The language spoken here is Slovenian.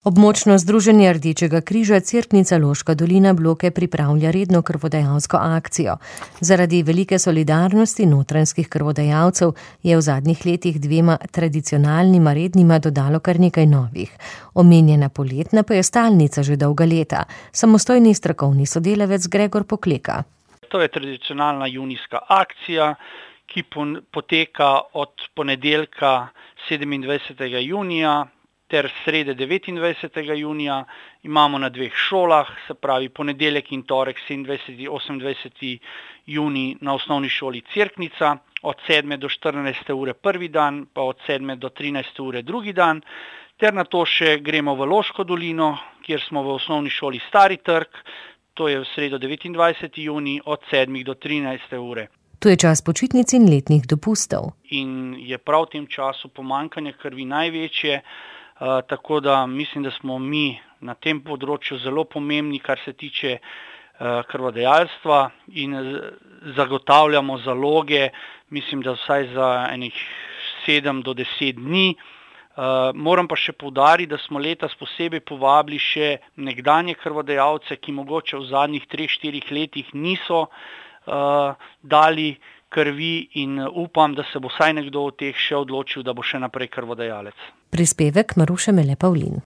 Območno združenje Rdečega križa Cerknica Loška dolina Bloke pripravlja redno krvodajalsko akcijo. Zaradi velike solidarnosti notranjskih krvodajalcev je v zadnjih letih 2 tradicionalnima rednima dodalo kar nekaj novih. Omenjena poletna pa je stalnica že dolga leta. Samostojni strokovni sodelavec Gregor Pokleka. To je tradicionalna junijska akcija, ki poteka od ponedeljka 27. junija ter srede 29. junija. Imamo na 2 šolah, se pravi ponedeljek in torek 27. 28. junij na osnovni šoli Cerknica, od 7. do 14. ure prvi dan, pa od 7. do 13. ure drugi dan, ter nato še gremo v Loško dolino, kjer smo v osnovni šoli Stari trg, to je v sredo 29. junij od 7. do 13. ure. To je čas počitnic in letnih dopustov. In je prav v tem času pomanjkanje krvi največje, tako da mislim, da smo mi na tem področju zelo pomembni, kar se tiče krvodajalstva, in zagotavljamo zaloge, mislim, da vsaj za enih 7 do 10 dni. Moram pa še poudariti, da smo letos posebej povabili še nekdanje krvodajalce, ki mogoče v zadnjih 3-4 letih niso dali krvi, in upam, da se bo vsaj nekdo od teh še odločil, da bo še naprej krvodajalec. Prispevek Maruše Mele Pavlin.